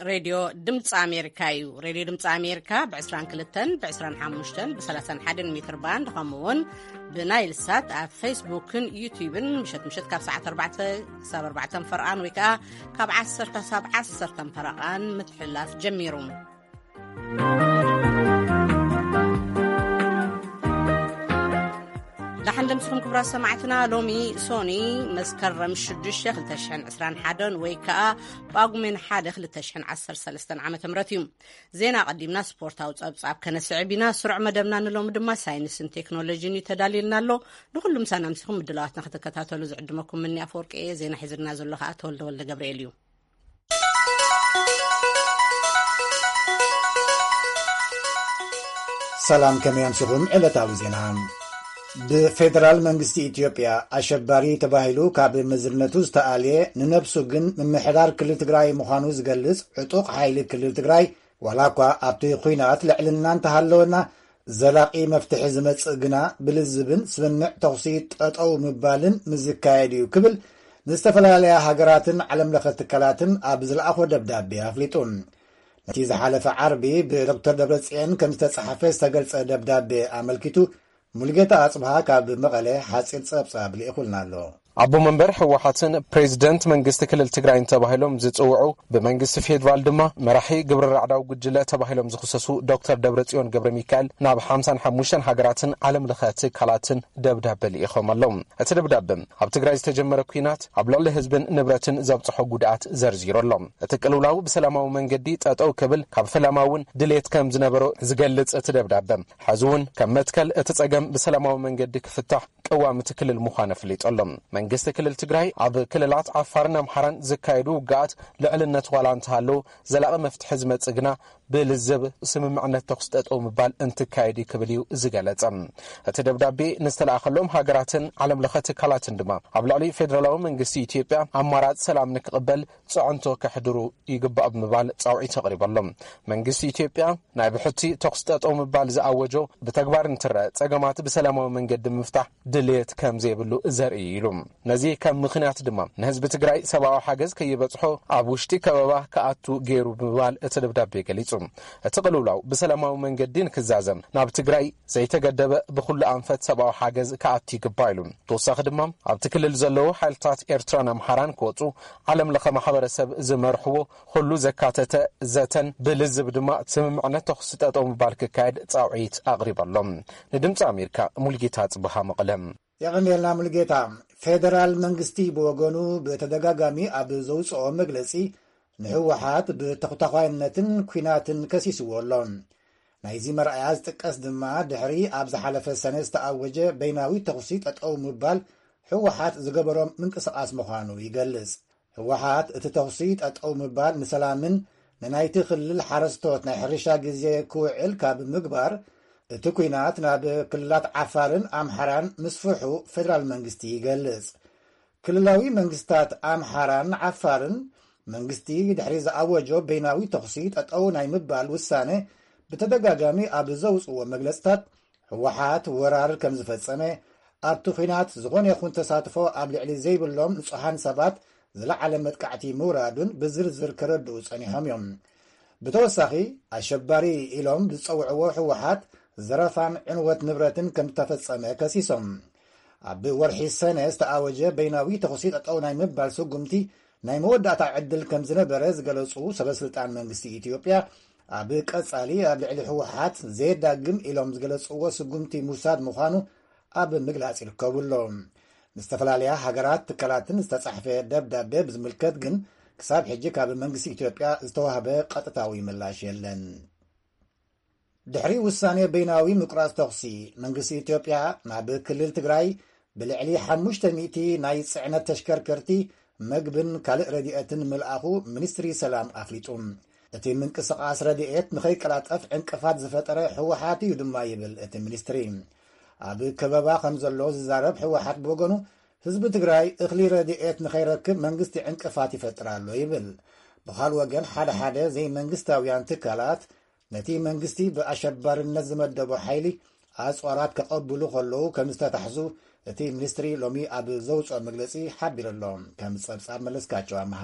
ሬድዮ ድምፂ ኣሜሪካ እዩ። ሬድዮ ድምፂ ኣሜሪካ ብ22፣ ብ25፣ ብ31 ሜትር ባንድ፣ ከምኡ እውን ብናይል ሳት ኣብ ፌስቡክን ዩቲዩብን ምሸት ምሸት ካብ ሰዓት ኣርባዕተ ክሳብ ኣርባዕተ ፈረቓን ወይ ከዓ ካብ ዓሰርተ ክሳብ ዓሰርተ ፈረቓን ምትሕልላፍ ጀሚሩ። ዳሕን ደምስኹም ክቡራት ሰማዕትና፣ ሎሚ ሶኒ መስከረም ሽዱሽተ ክልተ ሽሕን ዕስራን ሓደን ወይ ከዓ ጳጉሜን ሓደ ክልተ ሽሕን ዓሰርተ ሰለስተን ዓመተ ምህረት እዩ። ዜና ቀዲምና ስፖርታዊ ጸብጻብ ከነስዕብ ኢና። ስሩዕ መደብና ንሎሚ ድማ ሳይንስን ቴክኖሎጂን እዩ ተዳልየልና ኣሎ። ንኹሉ ምሳና ምሲኹም ምድላዋትና ክትከታተሉ ዝዕድመኩም ምኒ ኣፈወርቂ እየ። ዜና ሒዝልና ዘሎ ከዓ ተወልደ ወልደ ገብርኤል እዩ። ሰላም፣ ከመይ ኣምሲኹም? ዕለታዊ ዜና። ብፌደራል መንግስቲ ኢትዮጵያ ኣሸባሪ ተባሂሉ ካብ መዝነቱ ዝተኣልየ፣ ንነብሱ ግን ምምሕዳር ክልል ትግራይ ምዃኑ ዝገልጽ ዕጡቕ ሓይሊ ክልል ትግራይ፣ ዋላ እኳ ኣብቲ ኲናት ልዕልና እንተሃለወና፣ ዘላቒ መፍትሒ ዝመጽእ ግና ብልዝብን ስምምዕ ተኹሲ ጠጠው ምባልን ምዝካየድ እዩ ክብል ንዝተፈላለያ ሃገራትን ዓለም ለኸ ትካላትን ኣብ ዝለኣኾ ደብዳቤ ኣፍሊጡ። ነቲ ዝሓለፈ ዓርቢ ብዶክተር ደብረጽዮን ከም ዝተጻሕፈ ዝተገልጸ ደብዳቤ ኣመልኪቱ፣ ሙልጌታ ኣጽብሃ ካብ መቐለ ሓጺር ጸብጻብ ልኢኹልና ኣሎ። ኣቦ መንበር ህወሓትን ፕሬዚደንት መንግስቲ ክልል ትግራይን ተባሂሎም ዝጽውዑ፣ ብመንግስቲ ፌዴራል ድማ መራሒ ግብረ ራዕዳዊ ጉጅለ ተባሂሎም ዝኽሰሱ ዶክተር ደብረጽዮን ገብረ ሚካኤል ናብ ሓምሳን ሓሙሽተን ሃገራትን ዓለም ለኸ ትካላትን ደብዳበ ልኢኾም ኣለዉ። እቲ ደብዳበ ኣብ ትግራይ ዝተጀመረ ኲናት ኣብ ልዕሊ ህዝብን ንብረትን ዘብጽሖ ጉድኣት ዘርዚሩ ኣሎ። እቲ ቅልውላው ብሰላማዊ መንገዲ ጠጠው ክብል ካብ ፈለማ እውን ድሌት ከም ዝነበሮ ዝገልጽ እቲ ደብዳበ፣ ሕዚ እውን ከም መትከል እቲ ጸገም ብሰላማዊ መንገዲ ክፍታሕ ቅዋም እቲ ክልል ምዃኑ ኣፍሊጡ ኣሎ። መንግስቲ ክልል ትግራይ ኣብ ክልላት ዓፋርን ኣምሓራን ዝካየዱ ውግኣት ልዕልነት ዋላ እንተሃለዎ፣ ዘላቒ መፍትሒ ዝመጽእ ግና ብልዝብ ስምምዕነት ተኹሲ ጠጠው ምባል እንትካየድ እዩ ክብል እዩ ዝገለጸ። እቲ ደብዳቤ ንዝተለኣኸሎም ሃገራትን ዓለም ለኸ ትካላትን ድማ ኣብ ልዕሊ ፌደራላዊ መንግስቲ ኢትዮጵያ ኣማራፂ ሰላም ንክቕበል ፅዕንቶ ከሕድሩ ይግባእ ብምባል ፃውዒት ኣቕሪቡ ኣሎ። መንግስቲ ኢትዮጵያ ናይ ብሕቲ ተኹሲ ጠጠው ምባል ዝኣወጆ ብተግባር እንትረአ፣ ጸገማት ብሰላማዊ መንገዲ ምፍታሕ ድልየት ከም ዘይብሉ ዘርኢ እዩ ኢሉ። ነዚ ከም ምኽንያት ድማ ንህዝቢ ትግራይ ሰብኣዊ ሓገዝ ከይበጽሖ ኣብ ውሽጢ ከበባ ክኣቱ ገይሩ ብምባል እቲ ደብዳቤ ገሊጹ። እቲ ቅልውላው ብሰላማዊ መንገዲ ንክዛዘም ናብ ትግራይ ዘይተገደበ ብኹሉ ኣንፈት ሰብኣዊ ሓገዝ ክኣቱ ይግባእ ኢሉ። ተወሳኺ ድማ ኣብቲ ክልል ዘለዉ ሓይልታት ኤርትራን ኣምሓራን ክወጹ ዓለም ለኸ ማሕበረሰብ ዝመርሕዎ ኩሉ ዘካተተ ዘተን ብልዝብ ድማ ስምምዕነት ተኹሲ ጠጠው ምባል ክካየድ ጻውዒት ኣቕሪቡ ኣሎ። ንድምፂ ኣሜሪካ ሙልጌታ ጽብሃ መቐለ። የቐንየልና ሙልጌታ። ፌደራል መንግስቲ ብወገኑ ብተደጋጋሚ ኣብ ዘውፅኦ መግለፂ ንህወሓት ብተኹታኳይነትን ኲናትን ከሲስዎ ኣሎ። ናይዚ መርኣያ ዝጥቀስ ድማ ድሕሪ ኣብ ዝሓለፈ ሰነ ዝተኣወጀ በይናዊ ተኹሲ ጠጠው ምባል ህወሓት ዝገበሮ ምንቅስቓስ ምዃኑ ይገልጽ። ህወሓት እቲ ተኹሲ ጠጠው ምባል ንሰላምን ንናይቲ ክልል ሓረስቶት ናይ ሕርሻ ግዜ ክውዕል ካብ ምግባር፣ እቲ ኲናት ናብ ክልላት ዓፋርን ኣምሓራን ምስፍሑ ፌደራል መንግስቲ ይገልጽ። ክልላዊ መንግስታት ኣምሓራን ዓፋርን መንግስቲ ድሕሪ ዝኣወጆ በይናዊ ተኹሲ ጠጠው ናይ ምባል ውሳነ ብተደጋጋሚ ኣብ ዘውፅዎ መግለፅታት፣ ህወሓት ወራር ከም ዝፈጸመ፣ ኣብቲ ኲናት ዝኾነ ይኹን ተሳትፎ ኣብ ልዕሊ ዘይብሎም ንጹሃን ሰባት ዝለዓለ መጥቃዕቲ ምውራዱን ብዝርዝር ከረድኡ ጸኒሖም እዮም። ብተወሳኺ፣ ኣሸባሪ ኢሎም ዝጸውዕዎ ህወሓት ዘረፋን ዕንወት ንብረትን ከም ዝተፈጸመ ከሲሶም። ኣብ ወርሒ ሰነ ዝተኣወጀ በይናዊ ተኹሲ ጠጠው ናይ ምባል ስጉምቲ ናይ መወዳእታ ዕድል ከም ዝነበረ ዝገለጹ ሰበስልጣን መንግስቲ ኢትዮጵያ፣ ኣብ ቀጻሊ ኣብ ልዕሊ ህወሓት ዘየዳግም ኢሎም ዝገለጽዎ ስጉምቲ ምውሳድ ምዃኑ ኣብ ምግላጽ ይርከቡ ኣለዉ። ንዝተፈላለያ ሃገራት ትካላትን ዝተጻሕፈ ደብዳቤ ብዝምልከት ግን ክሳብ ሕጂ ካብ መንግስቲ ኢትዮጵያ ዝተዋህበ ቀጥታዊ ምላሽ የለን። ድሕሪ ውሳኔ በይናዊ ምቁራጽ ተኹሲ፣ መንግስቲ ኢትዮጵያ ናብ ክልል ትግራይ ብልዕሊ ሓሙሽተ ሚእቲ ናይ ጽዕነት ተሽከርከርቲ፣ መግብን ካልእ ረድኤትን ምልኣኹ ሚኒስትሪ ሰላም ኣፍሊጡ። እቲ ምንቅስቓስ ረድኤት ንኸይቀላጠፍ ዕንቅፋት ዝፈጠረ ህወሓት እዩ ድማ ይብል እቲ ሚኒስትሪ። ኣብ ከበባ ከም ዘሎ ዝዛረብ ህወሓት ብወገኑ፣ ህዝቢ ትግራይ እኽሊ ረድኤት ንኸይረክብ መንግስቲ ዕንቅፋት ይፈጥር ኣሎ ይብል። ብኻል ወገን፣ ሓደ ሓደ ዘይመንግስታውያን ትካላት ነቲ መንግስቲ ብኣሸባርነት ዝመደቦ ሓይሊ ኣጽዋራት ከቐብሉ ከለዉ ከም ዝተታሕዙ እቲ ሚኒስትሪ ሎሚ ኣብ ዘውፅኦ መግለጺ ሓቢሩ ኣሎ። ከም ጸብጻብ መለስካቸው ኣምሃ።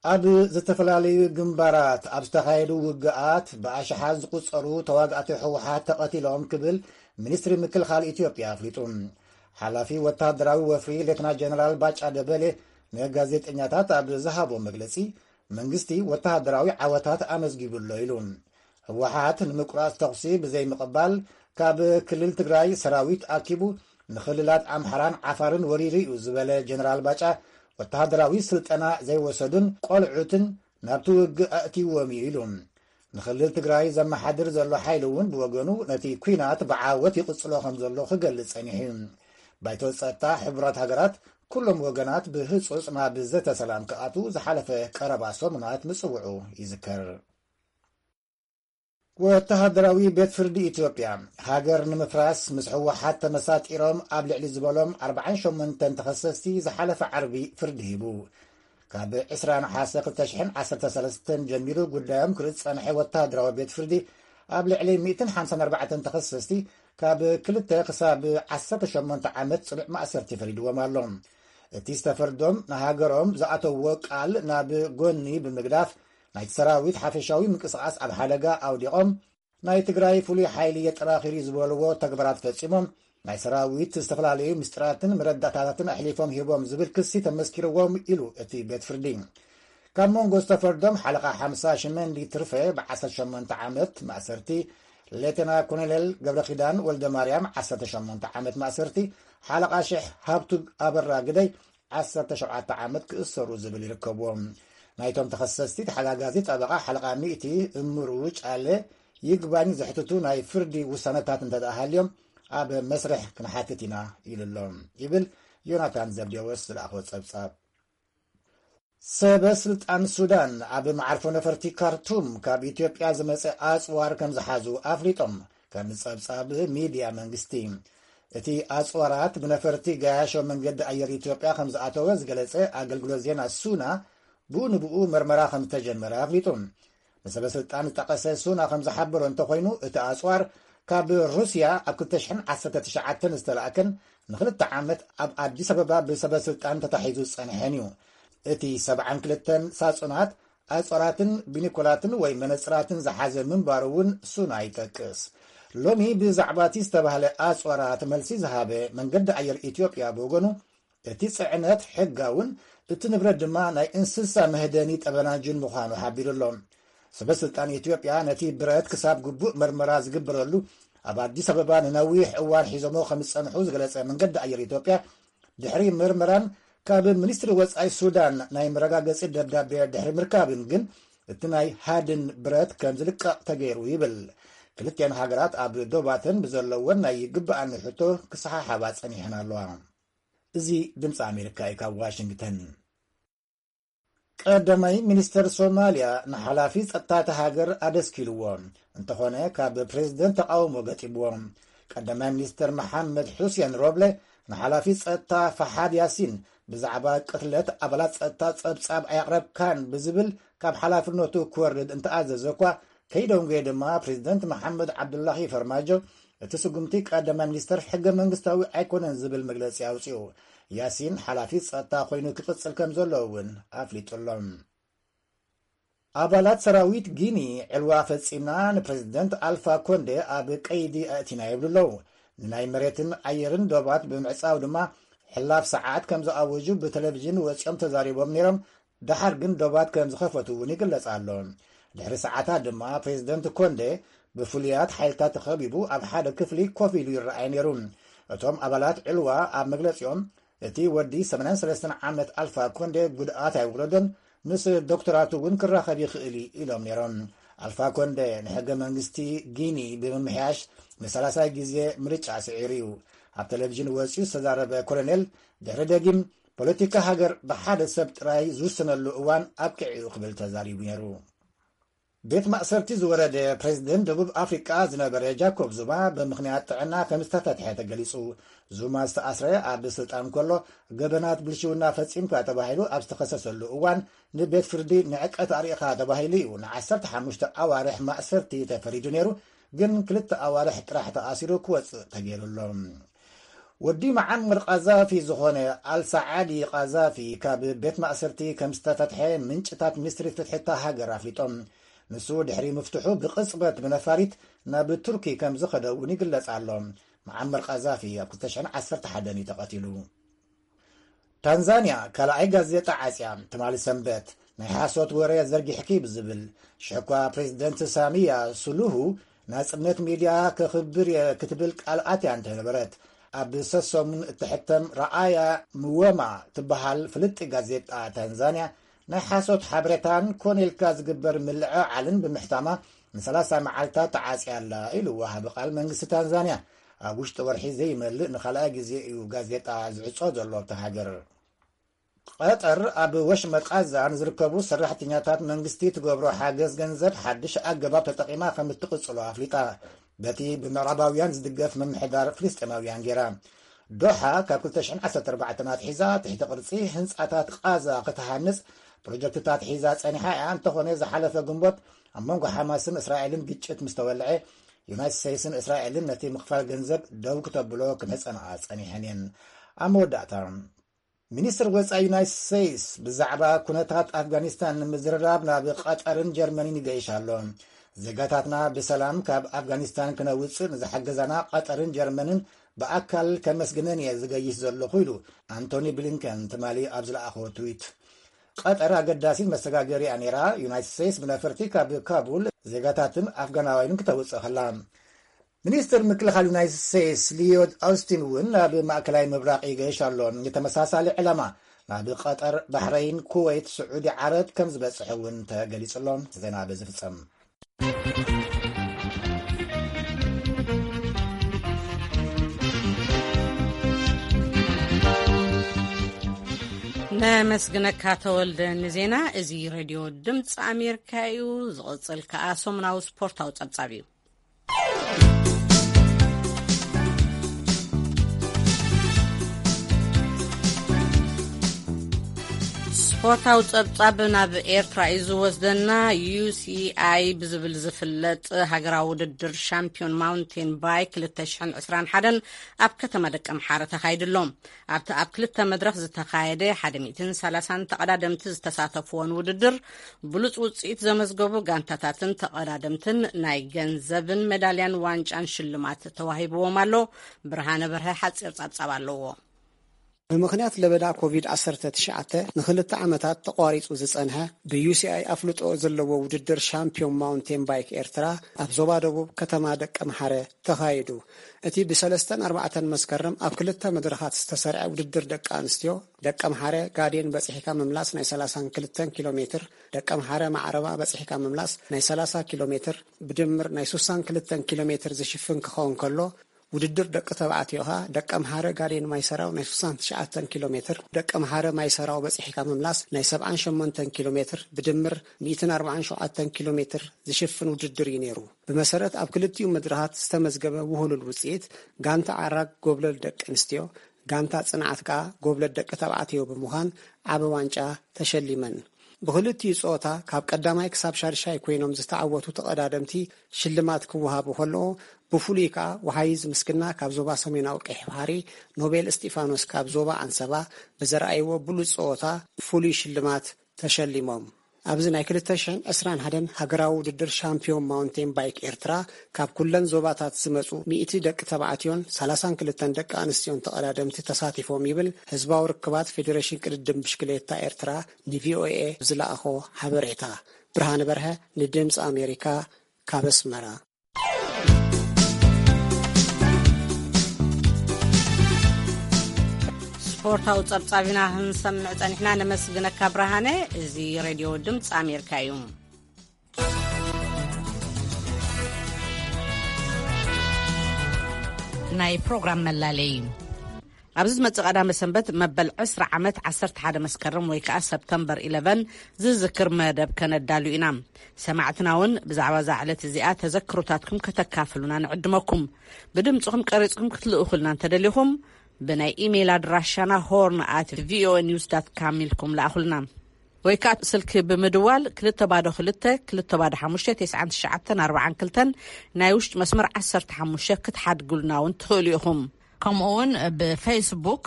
ኣብ ዝተፈላለዩ ግንባራት ኣብ ዝተኻየዱ ውግኣት ብኣሽሓት ዝቑጸሩ ተዋጋእቲ ህወሓት ተቐቲሎም ክብል ሚኒስትሪ ምክልኻል ኢትዮጵያ ኣፍሊጡ። ሓላፊ ወተሃደራዊ ወፍሪ ሌተና ጀነራል ባጫ ደበሌ ንጋዜጠኛታት ኣብ ዝሃቦ መግለጺ፣ መንግስቲ ወተሃደራዊ ዓወታት ኣመዝጊቡ ኣሎ ኢሉ። ህወሓት ንምቁራጽ ተኹሲ ብዘይምቕባል ካብ ክልል ትግራይ ሰራዊት ኣኪቡ ንክልላት ኣምሓራን ዓፋርን ወሪሩ እዩ ዝበለ ጀነራል ባጫ፣ ወተሃደራዊ ስልጠና ዘይወሰዱን ቆልዑትን ናብቲ ውግእ ኣእትይዎም እዩ ኢሉ። ንክልል ትግራይ ዘመሓድር ዘሎ ሓይሊ እውን ብወገኑ ነቲ ኲናት ብዓወት ይቕጽሎ ከም ዘሎ ክገልጽ ጸኒሑ እዩ። ባይቶ ጸጥታ ሕቡራት ሃገራት ኩሎም ወገናት ብህጹጽ ናብ ዘተ ሰላም ክኣትዉ ዝሓለፈ ቀረባ ሰሙናት ምጽውዑ ይዝከር። ወተሃደራዊ ቤት ፍርዲ ኢትዮጵያ፣ ሃገር ንምፍራስ ምስ ህወሓት ተመሳጢሮም ኣብ ልዕሊ ዝበሎም ኣርባዓን ሸሞንተን ተኸሰስቲ ዝሓለፈ ዓርቢ ፍርዲ ሂቡ። ካብ ዕስራ ነሓሰ ክልተ ሽሕን ዓሰርተ ሰለስተን ጀሚሩ ጉዳዮም ክርኢ ዝጸንሐ ወተሃደራዊ ቤት ፍርዲ፣ ኣብ ልዕሊ ሚእትን ሓምሳን ኣርባዕተን ተኸሰስቲ ካብ ክልተ ክሳብ ዓሰርተ ሸሞንተ ዓመት ጽኑዕ ማእሰርቲ ፈሪድዎም ኣሎ። እቲ ዝተፈርዶም ንሃገሮም ዝኣተውዎ ቃል ናብ ጎኒ ብምግዳፍ፣ ናይቲ ሰራዊት ሓፈሻዊ ምንቅስቓስ ኣብ ሓደጋ ኣውዲቖም፣ ናይ ትግራይ ፍሉይ ሓይሊ የጠናኺሩ ዝበልዎ ተግባራት ፈጺሞም፣ ናይ ሰራዊት ዝተፈላለዩ ምስጢራትን መረዳእታታትን ኣሕሊፎም ሂቦም ዝብል ክሲ ተመስኪርዎም ኢሉ እቲ ቤት ፍርዲ። ካብ መንጎ ዝተፈርዶም ሓለቓ ሓምሳ ሽመንዲ ትርፈ ብ ዓሰርተ ሸሞንተ ዓመት ማእሰርቲ፣ ሌተና ኮሎኔል ገብረኪዳን ወልደ ማርያም ዓሰርተ ሸሞንተ ዓመት ማእሰርቲ፣ ሓለቓ ሽሕ ሃብቱ ኣበራ ግደይ ዓሰርተ ሸውዓተ ዓመት ክእሰሩ ዝብል ይርከብዎም። ናይቶም ተኸሰስቲ ተሓጋጋዚ ጠበቓ ሓለቓ ሚእቲ እምሩ ጫለ ይግባኝ ዘሕትቱ ናይ ፍርዲ ውሳነታት እንተ ደኣ ሃልዮም ኣብ መስርሕ ክንሓትት ኢና ኢሉ ኣሎ ይብል ዮናታን ዘብዴዎስ ዝለኣኾ ጸብጻብ። ሰበ ስልጣን ሱዳን ኣብ መዓርፎ ነፈርቲ ካርቱም ካብ ኢትዮጵያ ዝመጸ ኣጽዋር ከም ዝሓዙ ኣፍሊጦም፣ ከም ጸብጻብ ሚድያ መንግስቲ። እቲ ኣጽዋራት ብነፈርቲ ገያሾ መንገዲ ኣየር ኢትዮጵያ ከም ዝኣተወ ዝገለጸ ኣገልግሎት ዜና ሱና፣ ብኡ ንብኡ መርመራ ከም ዝተጀመረ ኣፍሊጡ። ንሰበ ስልጣን ዝጠቐሰ ሱና ከም ዝሓበሮ እንተኾይኑ፣ እቲ ኣጽዋር ካብ ሩስያ ኣብ ክልተ ሽሕን ዓሰርተ ትሽዓተን ዝተላእከን ንኽልተ ዓመት ኣብ ኣዲስ ኣበባ ብሰበ ስልጣን ተታሒዙ ዝጸንሐን እዩ። እቲ ሰብዓን ክልተን ሳጹናት ኣጽዋራትን ቢኒኮላትን ወይ መነጽራትን ዝሓዘ ምንባሩ እውን ሱና ይጠቅስ። ሎሚ ብዛዕባ እቲ ዝተባህለ ኣጽዋራት መልሲ ዝሃበ መንገዲ ኣየር ኢትዮጵያ ብወገኑ፣ እቲ ጽዕነት ሕጋውን እቲ ንብረት ድማ ናይ እንስሳ መህደኒ ጠበናጁን ምዃኑ ሓቢሩ ኣሎ። ሰበ ስልጣን ኢትዮጵያ ነቲ ብረት ክሳብ ግቡእ መርመራ ዝግበረሉ ኣብ ኣዲስ ኣበባ ንነዊሕ እዋን ሒዞሞ ከም ዝጸንሑ ዝገለጸ መንገዲ ኣየር ኢትዮጵያ፣ ድሕሪ ምርመራን ካብ ሚኒስትሪ ወጻኢ ሱዳን ናይ መረጋገጺ ደብዳቤ ድሕሪ ምርካብን ግን፣ እቲ ናይ ሃድን ብረት ከም ዝልቀቕ ተገይሩ ይብል። ክልቲኣን ሃገራት ኣብ ዶባተን ብዘለወን ናይ ይግብኣኒ ሕቶ ክሰሓሓባ ጸኒሐን ኣለዋ። እዚ ድምፂ ኣሜሪካ እዩ ካብ ዋሽንግተን። ቀዳማይ ሚኒስተር ሶማልያ ንሓላፊ ጸጥታ እታ ሃገር ኣደስኪልዎ። እንተኾነ ካብ ፕሬዝደንት ተቓውሞ ገጢምዎ። ቀዳማይ ሚኒስተር መሓመድ ሑሴን ሮብለ ንሓላፊ ጸጥታ ፈሓድ ያሲን ብዛዕባ ቅትለት ኣባላት ጸጥታ ጸብጻብ ኣየቕረብካን ብዝብል ካብ ሓላፍነቱ ክወርድ እንተኣዘዘ እኳ፣ ከይደንጎየ ድማ ፕሬዝደንት መሓመድ ዓብዱላሂ ፈርማጆ እቲ ስጉምቲ ቀዳማይ ሚኒስተር ሕገ መንግስታዊ ኣይኮነን ዝብል መግለጺ ኣውጺኡ። ያሲን ሓላፊ ጸጥታ ኮይኑ ክቕጽል ከም ዘለዎ እውን ኣፍሊጡ ኣሎ። ኣባላት ሰራዊት ጊኒ ዕልዋ ፈጺምና ንፕሬዝደንት ኣልፋ ኮንዴ ኣብ ቀይዲ ኣእቲና ይብሉ ኣለዉ። ንናይ መሬትን ኣየርን ዶባት ብምዕጻው ድማ ሕላፍ ሰዓት ከም ዝኣወጁ ብቴሌቪዥን ወጺኦም ተዛሪቦም ነይሮም። ደሓር ግን ዶባት ከም ዝኸፈቱ እውን ይግለጽ ኣሎ። ድሕሪ ሰዓታት ድማ ፕሬዝደንት ኮንዴ ብፍሉያት ሓይልታት ተኸቢቡ ኣብ ሓደ ክፍሊ ኮፍ ኢሉ ይረኣይ ነይሩ። እቶም ኣባላት ዕልዋ ኣብ መግለጺኦም፣ እቲ ወዲ ሰማንያን ሰለስተን ዓመት ኣልፋ ኮንዴ ጉድኣት ኣይወረዶን፣ ምስ ዶክተራቱ እውን ክራኸብ ይኽእል እዩ ኢሎም ነይሮም። ኣልፋ ኮንዴ ንሕገ መንግስቲ ጊኒ ብምምሕያሽ ንሳልሳይ ግዜ ምርጫ ስዒሩ እዩ። ኣብ ቴሌቪዥን ወፂኡ ዝተዛረበ ኮሎኔል፣ ድሕሪ ደጊም ፖለቲካ ሃገር ብሓደ ሰብ ጥራይ ዝውሰነሉ እዋን ኣብቂዑ ክብል ተዛሪቡ ነይሩ። ቤት ማእሰርቲ ዝወረደ ፕሬዝደንት ደቡብ ኣፍሪቃ ዝነበረ ጃኮብ ዙማ ብምኽንያት ጥዕና ከም ዝተፈትሐ ተገሊጹ። ዙማ ዝተኣስረ ኣብ ስልጣን ከሎ ገበናት ብልሽውና ፈጺምካ ተባሂሉ ኣብ ዝተኸሰሰሉ እዋን ንቤት ፍርዲ ንዕቀት ኣርእኻ ተባሂሉ እዩ ንዓሰርተ ሓሙሽተ ኣዋርሕ ማእሰርቲ ተፈሪዱ ነይሩ። ግን ክልተ ኣዋርሕ ጥራሕ ተኣሲሩ ክወጽእ ተገይሩ ኣሎ። ወዲ መዓመር ቃዛፊ ዝኾነ ኣልሳዓዲ ቃዛፊ ካብ ቤት ማእሰርቲ ከም ዝተፈትሐ ምንጭታት ሚኒስትሪ ፍትሒ እታ ሃገር ኣፍሊጦም። ንሱ ድሕሪ ምፍትሑ ብቕጽበት ብነፋሪት ናብ ቱርኪ ከም ዝኸደ እውን ይግለጽ ኣሎ። መዓመር ቃዛፊ ኣብ ክልተ ሽሕን ዓሰርተ ሓደን እዩ ተቐቲሉ። ታንዛንያ ካልኣይ ጋዜጣ ዓጽያ። ትማሊ ሰንበት ናይ ሓሶት ወረ ዘርጊሕኪ ብዝብል ሽሕኳ ፕሬዚደንት ሳሚያ ሱሉሁ ናጽነት ሚድያ ከኽብር እየ ክትብል ቃል ኣትያ እንተነበረት፣ ኣብ ሰሰሙን እትሕተም ረኣያ ምወማ ትበሃል ፍልጢ ጋዜጣ ታንዛንያ ናይ ሓሶት ሓበሬታን ኮነ ኢልካ ዝግበር ምልዕዓልን ብምሕታማ ንሰላሳ መዓልታት ተዓጽያ ኣላ ኢሉ ወሃቢ ቃል መንግስቲ ታንዛንያ። ኣብ ውሽጢ ወርሒ ዘይመልእ ንኻልኣይ ግዜ እዩ ጋዜጣ ዝዕጾ ዘሎ ኣብታ ሃገር። ቀጠር ኣብ ወሽመጥ ቃዛ ንዝርከቡ ሰራሕተኛታት መንግስቲ ትገብሮ ሓገዝ ገንዘብ ሓድሽ ኣገባብ ተጠቒማ ከም እትቕጽሎ ኣፍሊጣ። በቲ ብምዕራባውያን ዝድገፍ ምምሕዳር ፍልስጤማውያን ገይራ። ዶሓ ካብ ክልተ ሽሕን ዓሰርተ ኣርባዕተን ኣትሒዛ ትሕቲ ቅርጺ ህንጻታት ቃዛ ክትሃንጽ ፕሮጀክትታት ሒዛ ጸኒሓ እያ። እንተኾነ ዝሓለፈ ግንቦት ኣብ መንጎ ሓማስን እስራኤልን ግጭት ምስ ተወልዐ፣ ዩናይትድ ስቴትስን እስራኤልን ነቲ ምኽፋል ገንዘብ ደው ክተብሎ ክምሕጸንኣ ጸኒሐን እየን። ኣብ መወዳእታ፣ ሚኒስትር ወጻኢ ዩናይትድ ስቴትስ ብዛዕባ ኩነታት ኣፍጋኒስታን ንምዝርራብ ናብ ቀጠርን ጀርመንን ይገይሽ ኣሎ። ዜጋታትና ብሰላም ካብ ኣፍጋኒስታን ክነውጽእ ንዝሓገዛና ቀጠርን ጀርመንን ብኣካል ከመስግነን እየ ዝገይሽ ዘለኹ ኢሉ ኣንቶኒ ብሊንከን ትማሊ ኣብ ዝለኣኾ ትዊት። ቀጠር ኣገዳሲት መሰጋገሪያ ነይራ። ዩናይትድ ስቴትስ ብነፈርቲ ካብ ካቡል ዜጋታትን ኣፍጋናውያንን ክተውጽእ ከላ። ሚኒስትር ምክልኻል ዩናይትድ ስቴትስ ሊዮድ ኣውስቲን እውን ናብ ማእከላይ ምብራቕ ይገይሽ ኣሎ። ንተመሳሳሊ ዕላማ ናብ ቀጠር፣ ባሕረይን፣ ኩወይት፣ ስዑዲ ዓረብ ከም ዝበጽሕ እውን ተገሊጹ ኣሎ። ዜና በዚ ፍጸም። ነመስግነካ ተወልደ ንዜና። እዚ ሬድዮ ድምፂ ኣሜሪካ እዩ። ዝቕፅል ከኣ ሰሙናዊ ስፖርታዊ ጸብጻብ እዩ። ስፖርታዊ ጸብጻብ ናብ ኤርትራ እዩ ዝወስደና። ዩ ሲ ኣይ ብዝብል ዝፍለጥ ሃገራዊ ውድድር ሻምፒዮን ማውንቴን ባይክ ክልተ ሽሕን ዕስራን ሓደን ኣብ ከተማ ደቀምሓረ ተኻይዱ ኣሎ። ኣብቲ ኣብ ክልተ መድረኽ ዝተኻየደ ሓደ ሚእትን ሰላሳን ተቐዳደምቲ ዝተሳተፍዎን ውድድር፣ ብሉጽ ውጽኢት ዘመዝገቡ ጋንታታትን ተቐዳደምትን ናይ ገንዘብን ሜዳልያን ዋንጫን ሽልማት ተዋሂብዎም ኣሎ። ብርሃነ በርሀ ሓጺር ጸብጻብ ኣለዎ። ብምኽንያት ለበዳ ኮቪድ ዓሰርተ ትሽዓተ ንኽልተ ዓመታት ተቋሪጹ ዝጸንሐ፣ ብዩ ሲ ኣይ ኣፍልጦ ዘለዎ ውድድር ሻምፒዮን ማውንቴን ባይክ ኤርትራ ኣብ ዞባ ደቡብ ከተማ ደቀምሓረ ተኻይዱ። እቲ ብሰለስተን ኣርባዕተን መስከረም ኣብ ክልተ መድረኻት ዝተሰርዐ ውድድር ደቂ ኣንስትዮ፣ ደቀምሓረ ጋዴን በጺሕካ ምምላስ ናይ ሰላሳን ክልተን ኪሎ ሜትር፣ ደቀምሓረ ማዕረባ በጺሕካ ምምላስ ናይ ሰላሳ ኪሎ ሜትር፣ ብድምር ናይ ስሳን ክልተን ኪሎ ሜትር ዝሽፍን ክኸውን ከሎ፣ ውድድር ደቂ ተባዕትዮ ኸኣ ደቀምሓረ ጋዴን ማይሰራው ናይ ስሳን ትሽዓተን ኪሎ ሜትር፣ ደቀምሓረ ማይሰራው በጺሕካ ምምላስ ናይ ሰብዓን ሸሞንተን ኪሎ ሜትር፣ ብድምር ሚእትን ኣርባዓን ሸውዓተን ኪሎ ሜትር ዝሽፍን ውድድር እዩ ነይሩ። ብመሰረት ኣብ ክልቲኡ መድረኻት ዝተመዝገበ ውህሉል ውጽኢት፣ ጋንታ ዓራግ ጎብለል ደቂ ኣንስትዮ፣ ጋንታ ጽንዓት ከኣ ጎብለል ደቂ ተባዕትዮ ብምዃን ዓቢ ዋንጫ ተሸሊመን። ብኽልቲኡ ጸወታ ካብ ቀዳማይ ክሳብ ሻድሻይ ኮይኖም ዝተዓወቱ ተቐዳደምቲ ሽልማት ክወሃቡ ከለኦ፣ ብፍሉይ ከኣ ወሃይዝ ምስግና ካብ ዞባ ሰሜናዊ ቀይሕ ባሕሪ፣ ኖቤል እስጢፋኖስ ካብ ዞባ ኣንሰባ ብዘርኣይዎ ብሉጽ ጸወታ ፍሉይ ሽልማት ተሸሊሞም። ኣብዚ ናይ ክልተ ሽሕን ዕስራን ሓደን ሃገራዊ ውድድር ሻምፒዮን ማውንቴን ባይክ ኤርትራ ካብ ኩለን ዞባታት ዝመጹ ሚእቲ ደቂ ተባዕትዮን ሰላሳን ክልተን ደቂ ኣንስትዮን ተቐዳደምቲ ተሳቲፎም ይብል ህዝባዊ ርክባት ፌዴሬሽን ቅድድም ብሽክሌታ ኤርትራ ን ቪ ኦ ኤ ዝለኣኾ ሓበሬታ። ብርሃነ በርሀ ንድምፂ ኣሜሪካ ካብ ኣስመራ። ስፖርታዊ ጸብጻብ ኢና ክንሰምዕ ጸኒሕና። ነመስግነካ ብርሃነ። እዚ ሬድዮ ድምፂ ኣሜሪካ እዩ። ናይ ፕሮግራም መላለይ። ኣብዚ ዝመጽእ ቀዳመ ሰንበት መበል ዕስራ ዓመት ዓሰርተ ሓደ መስከረም ወይ ከኣ ሰፕተምበር ኢለቨን ዝዝክር መደብ ከነዳሉ ኢና። ሰማዕትና እውን ብዛዕባ እዛ ዕለት እዚኣ ተዘክሮታትኩም ከተካፍሉና ንዕድመኩም። ብድምጽኹም ቀሪጽኩም ክትልእኹልና እንተደሊኹም፣ ብናይ ኢሜይል ኣድራሻና ሆርን ኣት ቪ ኦ ኤ ኒውስ ዳት ካም ኢልኩም ለኣኹልና። ወይ ከኣ ስልኪ ብምድዋል ክልተ ባዶ ክልተ፣ ክልተ ባዶ ሓሙሽተ፣ ተስዓን ትሽዓተን ኣርባዓን ክልተን ናይ ውሽጢ መስመር ዓሰርተ ሓሙሽተ ክትሓድጉልና እውን ትኽእሉ ኢኹም። ከምኡ እውን ብፌስቡክ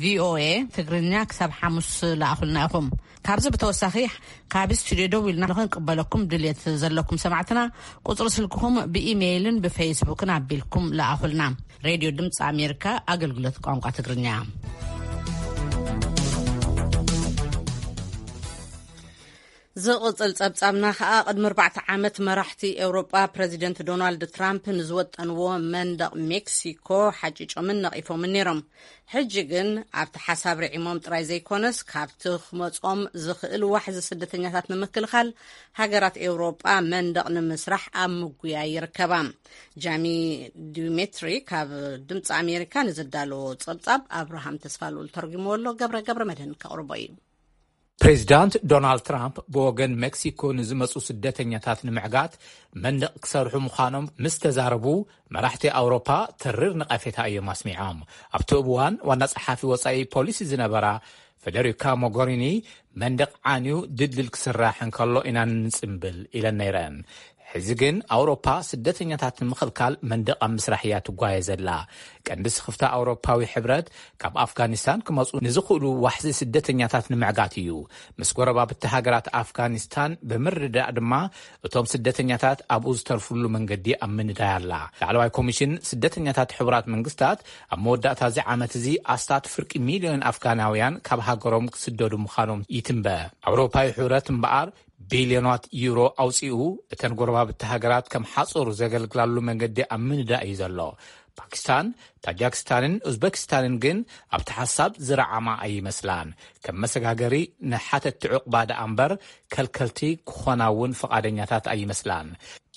ቪኦኤ ትግርኛ ክሳብ ሓሙስ ለኣኹልና ኢኹም። ካብዚ ብተወሳኺ ካብ ስቱድዮ ደው ኢልና ንክንቅበለኩም ድልየት ዘለኩም ሰማዕትና፣ ቁፅሪ ስልክኹም ብኢሜይልን ብፌስቡክን ኣቢልኩም ለኣኹልና። ሬድዮ ድምፂ ኣሜሪካ፣ ኣገልግሎት ቋንቋ ትግርኛ። ዝቕጽል ጸብጻብና ከኣ፣ ቅድሚ ኣርባዕተ ዓመት መራሕቲ ኤውሮጳ ፕረዚደንት ዶናልድ ትራምፕ ንዝወጠንዎ መንደቕ ሜክሲኮ ሓጭጮምን ነቒፎምን ነይሮም። ሕጂ ግን ኣብቲ ሓሳብ ርዒሞም ጥራይ ዘይኮነስ፣ ካብቲ ክመጾም ዝኽእል ዋሕዚ ስደተኛታት ንምክልኻል፣ ሃገራት ኤውሮጳ መንደቕ ንምስራሕ ኣብ ምጉያይ ይርከባ። ጃሚ ዲሜትሪ ካብ ድምፂ ኣሜሪካ ንዘዳለዎ ጸብጻብ ኣብርሃም ተስፋልኡል ተርጉምዎ ኣሎ። ገብረ ገብረ መድህን ከቕርቦ እዩ። ፕሬዚዳንት ዶናልድ ትራምፕ ብወገን ሜክሲኮ ንዝመጹ ስደተኛታት ንምዕጋት መንደቕ ክሰርሑ ምዃኖም ምስ ተዛረቡ፣ መራሕቲ ኣውሮፓ ተሪር ነቐፌታ እዮም ኣስሚዖም። ኣብቲ እዋን ዋና ጸሓፊ ወጻኢ ፖሊሲ ዝነበራ ፌደሪካ ሞጎሪኒ፣ መንደቕ ዓንዩ ድልድል ክስራሕ እንከሎ ኢና ንጽምብል ኢለን ነይረን። ሕዚ ግን ኣውሮፓ ስደተኛታት ንምኽልካል መንደቕ ኣብ ምስራሕ እያ ትጓየ ዘላ። ቀንዲ ስኽፍታ ኣውሮፓዊ ሕብረት ካብ ኣፍጋኒስታን ክመጹ ንዝኽእሉ ዋሕዚ ስደተኛታት ንምዕጋት እዩ። ምስ ጎረባብቲ ሃገራት ኣፍጋኒስታን ብምርድዳእ ድማ እቶም ስደተኛታት ኣብኡ ዝተርፍሉ መንገዲ ኣብ ምንዳይ ኣላ። ላዕለዋይ ኮሚሽን ስደተኛታት ሕቡራት መንግስታት ኣብ መወዳእታ እዚ ዓመት እዚ ኣስታት ፍርቂ ሚልዮን ኣፍጋናውያን ካብ ሃገሮም ክስደዱ ምዃኖም ይትንበ። ኣውሮፓዊ ሕብረት እምበኣር ቢልዮናት ዩሮ ኣውጺኡ፣ እተን ጎረባብቲ ሃገራት ከም ሓጹር ዘገልግላሉ መንገዲ ኣብ ምንዳእ እዩ ዘሎ። ፓኪስታን፣ ታጃክስታንን ኡዝበኪስታንን ግን ኣብቲ ሓሳብ ዝረዓማ ኣይመስላን። ከም መሰጋገሪ ንሓተትቲ ዕቑባ ደኣ እምበር፣ ከልከልቲ ክኾና እውን ፍቓደኛታት ኣይመስላን።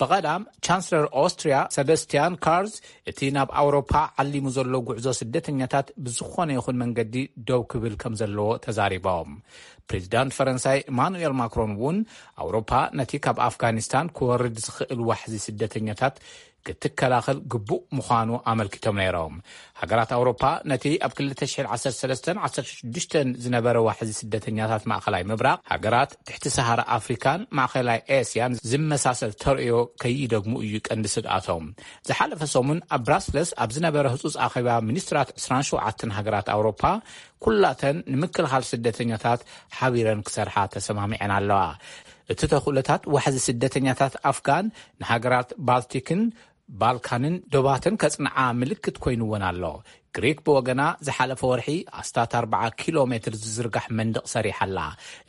ብቐዳም ቻንስለር ኦስትሪያ ሰበስቲያን ካርዝ፣ እቲ ናብ ኣውሮፓ ዓሊሙ ዘሎ ጉዕዞ ስደተኛታት ብዝኾነ ይኹን መንገዲ ደው ክብል ከም ዘለዎ ተዛሪቦም። ፕሬዚዳንት ፈረንሳይ ኢማኑኤል ማክሮን እውን፣ ኣውሮፓ ነቲ ካብ ኣፍጋኒስታን ክወርድ ዝኽእል ዋሕዚ ስደተኛታት ክትከላኸል ግቡእ ምዃኑ ኣመልኪቶም ነይሮም። ሃገራት ኣውሮፓ ነቲ ኣብ ክልተ ሽሕን ዓሰርተ ሰለስተን ዓሰርተ ሽዱሽተን ዝነበረ ዋሕዚ ስደተኛታት ማእኸላይ ምብራቕ፣ ሃገራት ትሕቲ ሰሃራ ኣፍሪካን ማእኸላይ ኤስያን ዝመሳሰል ተርእዮ ከይደግሙ እዩ ቀንዲ ስግኣቶም። ዝሓለፈ ሰሙን ኣብ ብራስለስ ኣብ ዝነበረ ህጹጽ ኣኼባ ሚኒስትራት ዕስራን ሸውዓተን ሃገራት ኣውሮፓ፣ ኩላተን ንምክልኻል ስደተኛታት ሓቢረን ክሰርሓ ተሰማሚዐን ኣለዋ። እቲ ተኽእሎታት ዋሕዚ ስደተኛታት ኣፍጋን ንሃገራት ባልቲክን ባልካንን ዶባተን ከጽንዓ ምልክት ኮይንወን ኣሎ። ግሪክ ብወገና ዝሓለፈ ወርሒ ኣስታት ኣርብዓ ኪሎ ሜትር ዝዝርጋሕ መንደቕ ሰሪሓ ኣላ።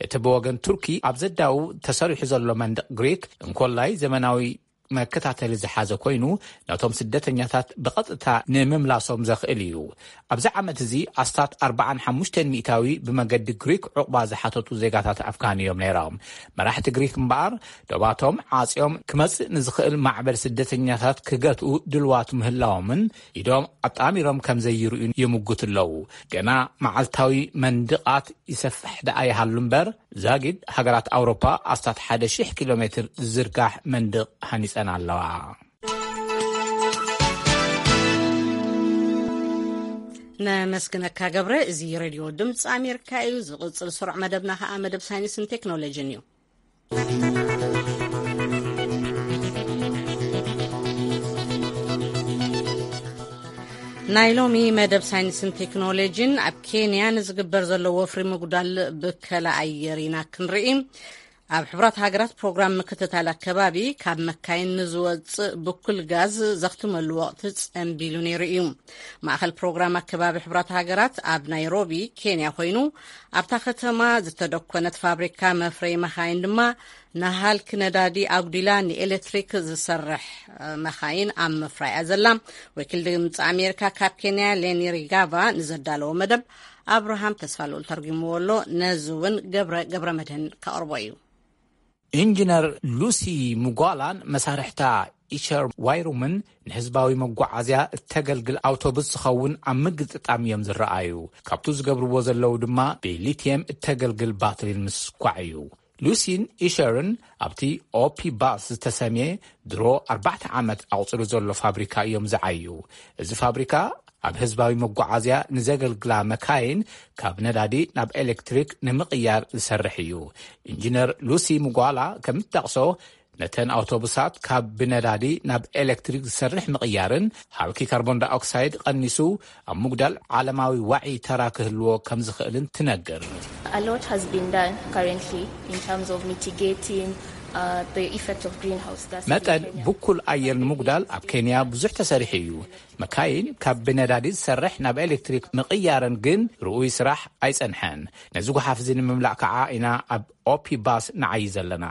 እቲ ብወገን ቱርኪ ኣብ ዘዳዉ ተሰሪሑ ዘሎ መንደቕ ግሪክ እንኮላይ ዘመናዊ መከታተሊ ዝሓዘ ኮይኑ፣ ነቶም ስደተኛታት ብቐጥታ ንምምላሶም ዘኽእል እዩ። ኣብዚ ዓመት እዚ ኣስታት ኣርባዓን ሓሙሽተን ሚእታዊ ብመገዲ ግሪክ ዕቑባ ዝሓተቱ ዜጋታት ኣፍጋን እዮም ነይሮም። መራሕቲ ግሪክ እምበኣር፣ ዶባቶም ዓጽዮም ክመጽእ ንዝኽእል ማዕበል ስደተኛታት ክገትኡ ድልዋት ምህላዎምን ኢዶም ኣጣሚሮም ከም ዘይርእዩ ይምጉት ኣለዉ። ገና መዓልታዊ መንድቓት ይሰፍሕ ደኣ ይሃሉ እምበር፣ ዛጊድ ሃገራት ኣውሮፓ ኣስታት ሓደ ሺሕ ኪሎ ሜትር ዝዝርጋሕ መንድቕ ሃኒጸን ኣለዋ። ነመስግነካ ገብረ። እዚ ሬድዮ ድምፂ ኣሜሪካ እዩ። ዝቕፅል ስሩዕ መደብና ከዓ መደብ ሳይንስን ቴክኖሎጂን እዩ። ናይ ሎሚ መደብ ሳይንስን ቴክኖሎጂን፣ ኣብ ኬንያ ንዝግበር ዘሎ ወፍሪ ምጉዳል ብከላ ኣየር ኢና ክንርኢ። ኣብ ሕቡራት ሃገራት ፕሮግራም ምክትታል ኣከባቢ፣ ካብ መካይን ንዝወጽእ ብኩል ጋዝ ዘኽትመሉ ወቕቲ ጸንቢሉ ነይሩ እዩ። ማእኸል ፕሮግራም ኣከባቢ ሕቡራት ሃገራት ኣብ ናይሮቢ ኬንያ ኮይኑ፣ ኣብታ ከተማ ዝተደኮነት ፋብሪካ መፍረይ መኻይን ድማ ንሃልኪ ነዳዲ ኣጉዲላ ንኤሌክትሪክ ዝሰርሕ መኻይን ኣብ ምፍራይ እያ ዘላ። ወኪል ድምፂ ኣሜሪካ ካብ ኬንያ ሌኒ ሪጋቫ ንዘዳለዎ መደብ ኣብርሃም ተስፋልኡል ተርጉምዎ ኣሎ። ነዚ እውን ገብረ ገብረ መድህን ከቕርቦ እዩ። ኢንጂነር ሉሲ ሙጓላን መሳርሕታ ኢሸር ዋይሩምን ንህዝባዊ መጓዓዝያ እተገልግል ኣውቶቡስ ዝኸውን ኣብ ምግጥጣም እዮም ዝረኣዩ። ካብቱ ዝገብርዎ ዘለዉ ድማ ብሊትየም እተገልግል ባትሪን ምስኳዕ እዩ። ሉሲን ኢሸርን ኣብቲ ኦፒ ባስ ዝተሰምየ ድሮ ኣርባዕተ ዓመት ኣቑፅሩ ዘሎ ፋብሪካ እዮም ዝዓዩ። እዚ ፋብሪካ ኣብ ህዝባዊ መጓዓዝያ ንዘገልግላ መካይን ካብ ነዳዲ ናብ ኤሌክትሪክ ንምቕያር ዝሰርሕ እዩ። ኢንጂነር ሉሲ ሙጓላ ከም እትጠቕሶ፣ ነተን ኣውቶቡሳት ካብ ብነዳዲ ናብ ኤሌክትሪክ ዝሰርሕ ምቕያርን ሃልኪ ካርቦን ዳይኦክሳይድ ቀኒሱ ኣብ ምጉዳል ዓለማዊ ዋዒ ተራ ክህልዎ ከም ዝኽእልን ትነግር። A lot has been done currently in terms of mitigating uh, the effect of greenhouse gas. መጠን ብኩል ኣየር ንምጉዳል ኣብ ኬንያ ብዙሕ ተሰሪሑ እዩ። መካይን ካብ ብነዳዲ ዝሰርሕ ናብ ኤሌክትሪክ ምቕያረን ግን ርኡይ ስራሕ ኣይጸንሐን። ነዚ ጓሓፍ እዚ ንምምላእ ከዓ ኢና ኣብ ኦፒ ባስ ንዓይ ዘለና።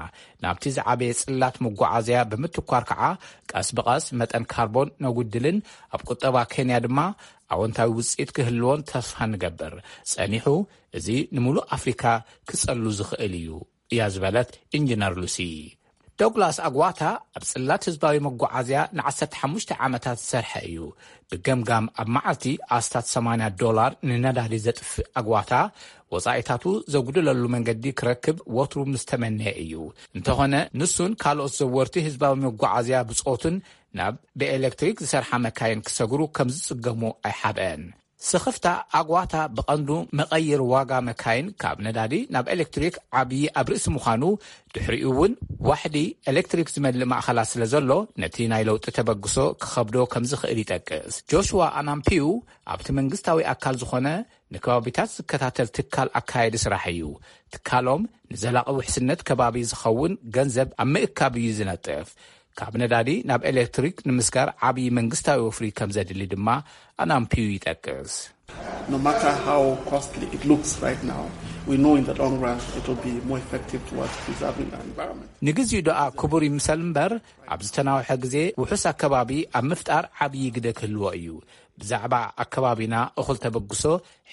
ናብቲ ዝዓበየ ጽላት መጓዓዝያ ብምትኳር ከዓ ቀስ ብቐስ መጠን ካርቦን ነጉድልን ኣብ ቁጠባ ኬንያ ድማ ኣወንታዊ ውጽኢት ክህልዎን ተስፋ ንገብር። ጸኒሑ እዚ ንምሉእ ኣፍሪካ ክጸሉ ዝኽእል እዩ እያ ዝበለት ኢንጂነር ሉሲ። ዶግላስ ኣግዋታ ኣብ ጽላት ህዝባዊ መጓዓዝያ ን15 ዓመታት ዝሰርሐ እዩ። ብገምጋም ኣብ መዓልቲ ኣስታት 80 ዶላር ንነዳዲ ዘጥፍእ ኣግዋታ ወጻኢታቱ ዘጉድለሉ መንገዲ ክረክብ ወትሩ ምስ ተመነየ እዩ። እንተኾነ ንሱን ካልኦት ዘወርቲ ህዝባዊ መጓዓዝያ ብጾቱን ናብ ብኤሌክትሪክ ዝሰርሓ መካይን ክሰግሩ ከም ዝጽገሙ ኣይሓብአን። ስኽፍታ ኣግዋታ ብቐንዱ መቐይር ዋጋ መካይን ካብ ነዳዲ ናብ ኤሌክትሪክ ዓብዪ ኣብ ርእሲ ምዃኑ፣ ድሕሪኡ እውን ዋሕዲ ኤሌክትሪክ ዝመልእ ማእኸላት ስለ ዘሎ ነቲ ናይ ለውጢ ተበግሶ ክኸብዶ ከም ዝኽእል ይጠቅስ። ጆሽዋ ኣናምፒዩ ኣብቲ መንግስታዊ ኣካል ዝኾነ ንከባቢታት ዝከታተል ትካል ኣካየዲ ስራሕ እዩ። ትካሎም ንዘላቒ ውሕስነት ከባቢ ዝኸውን ገንዘብ ኣብ ምእካብ እዩ ዝነጥፍ። ካብ ነዳዲ ናብ ኤሌክትሪክ ንምስጋር ዓብዪ መንግስታዊ ወፍሪ ከም ዘድሊ ድማ ኣናምፒዩ ይጠቅስ። No matter how costly it looks right now, we know in the long run it will be more effective towards preserving our environment. ንግዚኡ ደኣ ክቡር ይምሰል እምበር ኣብ ዝተናውሐ ግዜ ውሑስ ኣከባቢ ኣብ ምፍጣር ዓብዪ ግደ ክህልዎ እዩ። ብዛዕባ ኣከባቢና እኹል ተበግሶ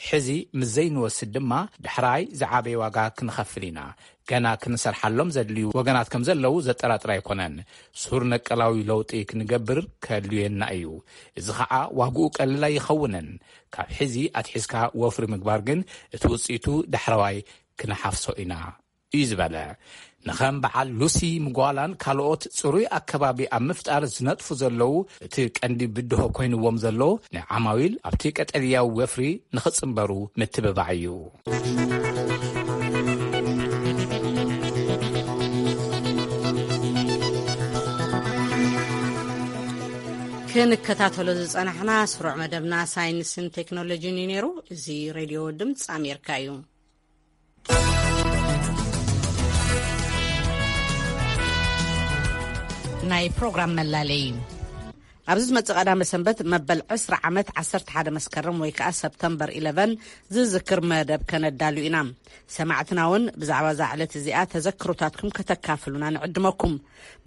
ሕዚ ምስ ዘይንወስድ ድማ ዳሕራይ ዝዓበየ ዋጋ ክንኸፍል ኢና። ገና ክንሰርሓሎም ዘድልዩ ወገናት ከም ዘለዉ ዘጠራጥር ኣይኮነን። ሱር ነቀላዊ ለውጢ ክንገብር ከድልየና እዩ። እዚ ኸዓ ዋግኡ ቀሊል ኣይኸውንን። ካብ ሕዚ ኣትሒዝካ ወፍሪ ምግባር ግን እቲ ውፅኢቱ ዳሕረዋይ ክንሓፍሶ ኢና እዩ ዝበለ። ንኸም በዓል ሉሲ ምጓላን ካልኦት ፅሩይ ኣከባቢ ኣብ ምፍጣር ዝነጥፉ ዘለዉ እቲ ቀንዲ ብድሆ ኮይንዎም ዘሎ ንዓማዊል ኣብቲ ቀጠልያዊ ወፍሪ ንኽፅምበሩ ምትብባዕ እዩ። ክንከታተሎ ዝጸናሕና ስሩዕ መደብና ሳይንስን ቴክኖሎጂን እዩ ነይሩ። እዚ ሬድዮ ድምፂ ኣሜሪካ እዩ። ናይ ፕሮግራም መላለይ ኣብዚ ዝመጽእ ቀዳመ ሰንበት መበል ዕስራ ዓመት ዓሰርተ ሓደ መስከረም ወይ ከኣ ሰፕተምበር ኢለቨን ዝዝክር መደብ ከነዳሉ ኢና። ሰማዕትና እውን ብዛዕባ እዛ ዕለት እዚኣ ተዘክሮታትኩም ከተካፍሉና ንዕድመኩም።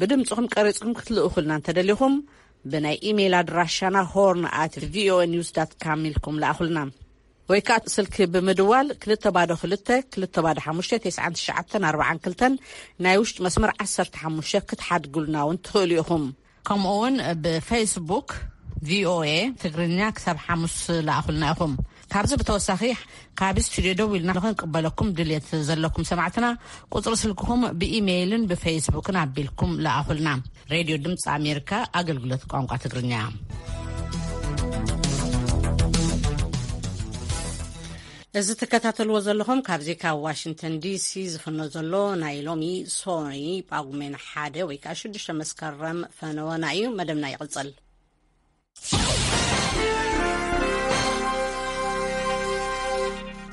ብድምጽኹም ቀሪጽኩም ክትልእኹልና እንተደሊኹም ብናይ ኢሜይል ኣድራሻና ሆርን ኣት ቪኦኤ ኒውስ ዳት ካም ኢልኩም ለኣኹልና። ወይ ከኣ ስልኪ ብምድዋል ክልተ ባዶ ክልተ ክልተ ባዶ ሓሙሽተ ተስዓን ትሽዓተን ኣርባዓን ክልተን ናይ ውሽጢ መስመር ዓሰርተ ሓሙሽተ ክትሓድጉልና እውን ትኽእሉ ኢኹም። ከምኡ እውን ብፌስቡክ ቪኦኤ ትግርኛ ክሳብ ሓሙስ ለኣኹልና ኢኹም። ካብዚ ብተወሳኺ ካብ ስቱድዮ ደው ኢልና ንኽንቅበለኩም ድልየት ዘለኩም ሰማዕትና ቁፅሪ ስልክኹም ብኢሜይልን ብፌስቡክን ኣቢልኩም ለኣኹልና። ሬድዮ ድምፂ ኣሜሪካ ኣገልግሎት ቋንቋ ትግርኛ። እዚ ትከታተልዎ ዘለኹም ካብዚ ካብ ዋሽንግተን ዲሲ ዝፍኖ ዘሎ ናይ ሎሚ ሶኒ ጳጉሜን ሓደ ወይ ከዓ ሽዱሽተ መስከረም ፈነወና እዩ። መደብና ይቕፅል።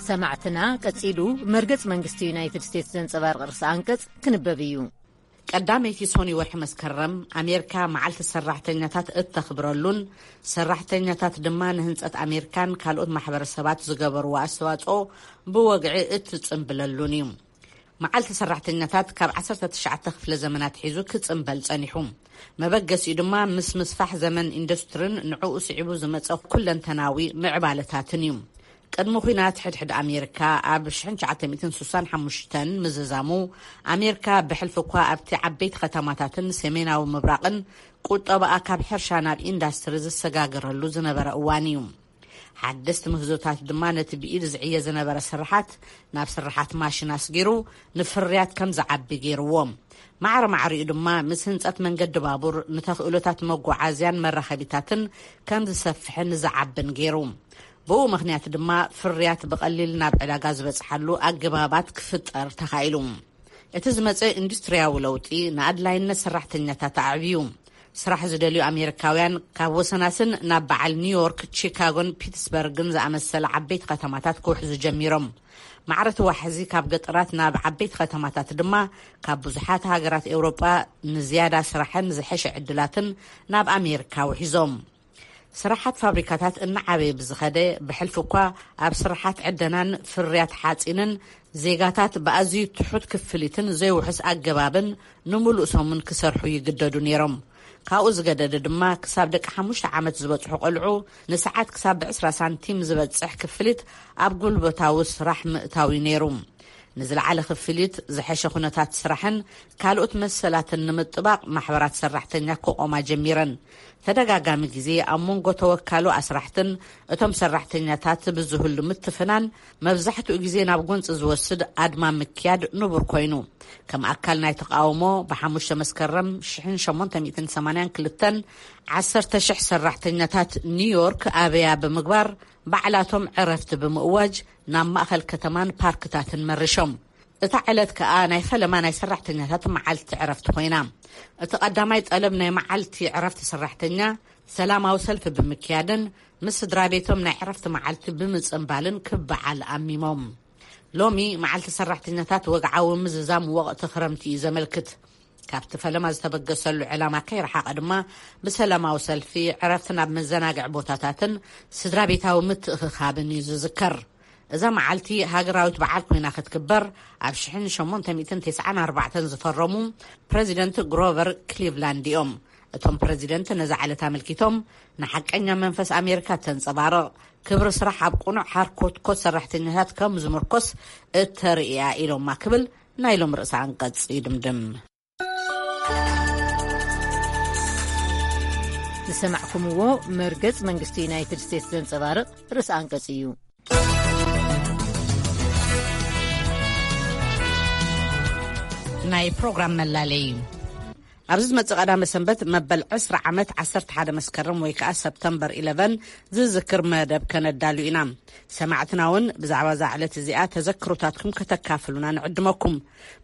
ሰማዕትና ቀጺሉ መርገጽ መንግስቲ ዩናይትድ ስቴትስ ዘንጸባርቕ ርእሰ ኣንቀጽ ክንበብ እዩ። ቀዳመይቲ ሶኒ ወርሒ መስከረም ኣሜሪካ መዓልቲ ሰራሕተኛታት እተኽብረሉን ሰራሕተኛታት ድማ ንህንጸት ኣሜሪካን ካልኦት ማሕበረሰባት ዝገበርዎ ኣስተዋጽኦ ብወግዒ እትጽንብለሉን እዩ። መዓልቲ ሰራሕተኛታት ካብ ዓሰርተ ትሽዓተ ክፍለ ዘመን ኣትሒዙ ክጽንበል ጸኒሑ። መበገሲኡ ድማ ምስ ምስፋሕ ዘመን ኢንዱስትርን ንዕኡ ስዒቡ ዝመጸ ኩለንተናዊ ምዕባለታትን እዩ። ቅድሚ ኲናት ሕድሕድ ኣሜሪካ ኣብ ሽሕን ትሽዓተ ሚእትን ስሳን ሓሙሽተን ምዝዛሙ ኣሜሪካ ብሕልፊ እኳ ኣብቲ ዓበይቲ ከተማታትን ሰሜናዊ ምብራቕን ቁጠባኣ ካብ ሕርሻ ናብ ኢንዳስትሪ ዝሰጋገረሉ ዝነበረ እዋን እዩ። ሓደስቲ ምህዞታት ድማ ነቲ ብኢድ ዝዕየ ዝነበረ ስርሓት ናብ ስርሓት ማሽን ኣስጊሩ ንፍርያት ከም ዝዓቢ ገይርዎ። ማዕረ ማዕሪኡ ድማ ምስ ህንጸት መንገዲ ባቡር ንተኽእሎታት መጓዓዝያን መራኸቢታትን ከም ዝሰፍሕን ዝዓብን ገይሩ። ብኡ ምኽንያት ድማ ፍርያት ብቐሊል ናብ ዕዳጋ ዝበጽሓሉ ኣገባባት ክፍጠር ተኻኢሉ። እቲ ዝመጸ ኢንዱስትርያዊ ለውጢ ንኣድላይነት ሰራሕተኛታት ኣዕብዩ። ስራሕ ዝደልዩ ኣሜሪካውያን ካብ ወሰናስን ናብ በዓል ኒውዮርክ፣ ቺካጎን ፒትስበርግን ዝኣመሰለ ዓበይቲ ከተማታት ክውሕዙ ጀሚሮም። ማዕረ እቲ ዋሕዚ ካብ ገጠራት ናብ ዓበይቲ ከተማታት ድማ ካብ ብዙሓት ሃገራት ኤውሮጳ ንዝያዳ ስራሕን ዝሐሸ ዕድላትን ናብ ኣሜሪካ ውሒዞም። ስራሓት ፋብሪካታት እናዓበየ ብዝኸደ፣ ብሕልፊ እኳ ኣብ ስራሓት ዕደናን ፍርያት ሓጺንን ዜጋታት ብኣዝዩ ትሑት ክፍሊትን ዘይውሑስ ኣገባብን ንምሉእ ሰሙን ክሰርሑ ይግደዱ ነይሮም። ካብኡ ዝገደደ ድማ፣ ክሳብ ደቂ ሓሙሽተ ዓመት ዝበጽሑ ቆልዑ ንሰዓት ክሳብ ብ20 ሳንቲም ዝበጽሕ ክፍሊት ኣብ ጉልበታዊ ስራሕ ምእታው እዩ ነይሩ። ንዝለዓለ ክፍሊት፣ ዝሐሸ ኩነታት ስራሕን ካልኦት መሰላትን ንምጥባቕ፣ ማሕበራት ሰራሕተኛ ክቖማ ጀሚረን። ተደጋጋሚ ግዜ ኣብ መንጎ ተወካሉ ኣስራሕትን እቶም ሰራሕተኛታት ብዝህሉ ምትፍናን፣ መብዛሕትኡ ግዜ ናብ ጎንጺ ዝወስድ ኣድማ ምክያድ ንቡር ኮይኑ። ከም ኣካል ናይ ተቃውሞ፣ ብ5 መስከረም ሽ882፣ 10,000 ሰራሕተኛታት ኒውዮርክ ኣበያ ብምግባር፣ ባዕላቶም ዕረፍቲ ብምእዋጅ፣ ናብ ማእኸል ከተማን ፓርክታትን መሪሾም። እታ ዕለት ከኣ ናይ ፈለማ ናይ ሰራሕተኛታት መዓልቲ ዕረፍቲ ኮይና። እቲ ቀዳማይ ጠለብ ናይ መዓልቲ ዕረፍቲ ሰራሕተኛ፣ ሰላማዊ ሰልፊ ብምክያድን ምስ ስድራ ቤቶም ናይ ዕረፍቲ መዓልቲ ብምጽንባልን ክበዓል ኣሚሞም። ሎሚ መዓልቲ ሰራሕተኛታት፣ ወግዓዊ ምዝዛም ወቕቲ ክረምቲ እዩ ዘመልክት። ካብቲ ፈለማ ዝተበገሰሉ ዕላማ ከይረሓቐ ድማ፣ ብሰላማዊ ሰልፊ፣ ዕረፍቲ ናብ መዘናግዒ ቦታታትን ስድራ ቤታዊ ምትእኽኻብን እዩ ዝዝከር። እዛ መዓልቲ ሃገራዊት በዓል ኮይና ክትክበር ኣብ ሽ894 ዝፈረሙ ፕረዚደንት ግሮቨር ክሊቭላንድ እዮም። እቶም ፕረዚደንት ነዛ ዕለት ኣመልኪቶም፣ ንሓቀኛ መንፈስ ኣሜሪካ እተንጸባርቕ፣ ክብሪ ስራሕ ኣብ ቅኑዕ ሓርኮትኮት ሰራሕተኛታት ከም ዝምርኮስ እተርእያ ኢሎማ ክብል ናይ ሎም ርእሰ ኣንቀጽ ይድምድም። ዝሰማዕኩምዎ መርገጽ መንግስቲ ዩናይትድ ስቴትስ ዘንጸባርቕ ርእሰ ኣንቀጽ እዩ። ናይ ፕሮግራም መላለይ። ኣብዚ ዝመጽእ ቀዳመ ሰንበት መበል ዕስራ ዓመት ዓሰርተ ሓደ መስከረም ወይ ከኣ ሰፕተምበር ኢለቨን ዝዝክር መደብ ከነዳሉ ኢና። ሰማዕትና እውን ብዛዕባ እዛ ዕለት እዚኣ ተዘክሮታትኩም ከተካፍሉና ንዕድመኩም።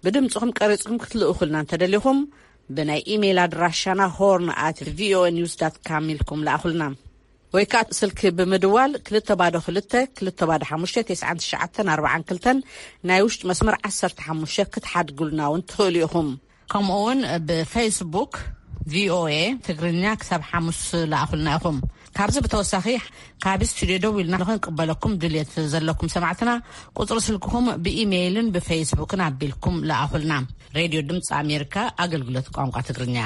ብድምጽኹም ቀሪጽኩም ክትልእኹልና እንተደሊኹም፣ ብናይ ኢሜይል ኣድራሻና ሆርን ኣት ቪኦኤ ኒውስ ዳት ካም ኢልኩም ለኣኹልና። ወይ ከኣ ስልኪ ብምድዋል ክልተ ባዶ ክልተ፣ ክልተ ባዶ ሓሙሽተ፣ ተስዓን ትሽዓተን ኣርባዓን ክልተን ናይ ውሽጢ መስመር ዓሰርተ ሓሙሽተ ክትሓድጉልና እውን ትኽእሉ ኢኹም። ከምኡ እውን ብፌስቡክ ቪኦኤ ትግርኛ ክሳብ ሓሙስ ለኣኹልና ኢኹም። ካብዚ ብተወሳኺ፣ ካብ ስቱድዮ ደው ኢልና ንኽንቅበለኩም ድልየት ዘለኩም ሰማዕትና፣ ቁጽሪ ስልክኹም ብኢሜይልን ብፌስቡክን ኣቢልኩም ለኣኹልና። ሬድዮ ድምፂ ኣሜሪካ፣ ኣገልግሎት ቋንቋ ትግርኛ።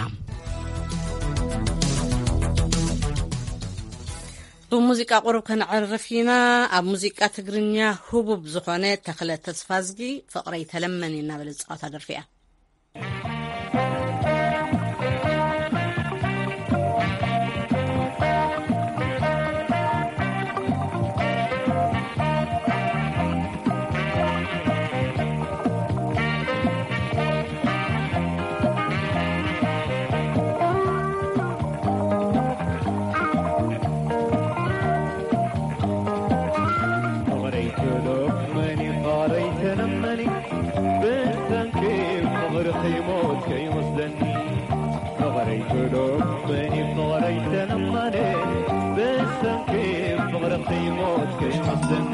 ብሙዚቃ ቁሩብ ከነዕርፍ ኢና። ኣብ ሙዚቃ ትግርኛ ህቡብ ዝኾነ ተኽለ ተስፋዝጊ፣ ፍቕረይ ተለመኒ እናበለ ዝጻወታ ደርፊ እያ። ፍቕረይ ትለመኒ፣ ፍቕረይ ተለመኒ፣ ብሰንኪ ፍቕርኺ ሞት ከይወስደኒ። ፍቕረይ ትለመኒ፣ ፍቕረይ ተለመኒ፣ ብሰንኪ ፍቕርኺ ሞት ከይወስደኒ።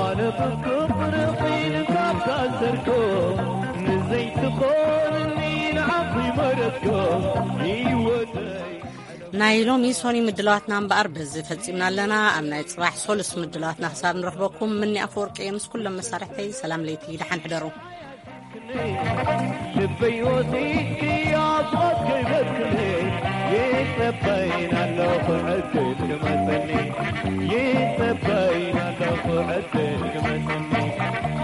ኣነ ብፍቕርኺ ንካብ ታሰርኩ፣ ንዘይትኾንኒ ንዓኺ መረጽኩ፣ ህይወተይ። ናይ ሎሚ ሶኒ ምድላዋትና እምበኣር በዚ ፈጺምና ኣለና። ኣብ ናይ ጽባሕ ሶሉስ ምድላዋትና ክሳብ ንረኽበኩም፣ ምኒ ኣፈወርቂ እየ ምስ ኩሎም መሳርሕተይ። ሰላም ለይቲ፣ ደሓን ሕደሩ። ልበይ ወሲድኪ ኣብ ሞት ከይበክኒ፣ ይጸበይን ኣለኹ ዕድል ክመጸኒ። ይጸበይን ኣለኹ ዕድል ክመጸኒ።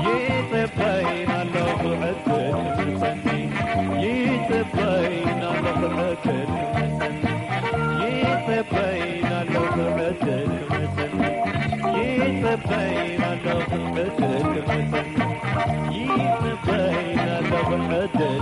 ይጸበይን ኣለኹ ዕድል ክመጸኒ። ይጸበይን ኣለኹ ዕድል ክመጸኒ። ይጸበይን ኣለኹ ዕድል ክመጸኒ። ይጸበይን ኣለኹ ዕድል ክመጸኒ። ይጸበይን ኣለኹ ዕድል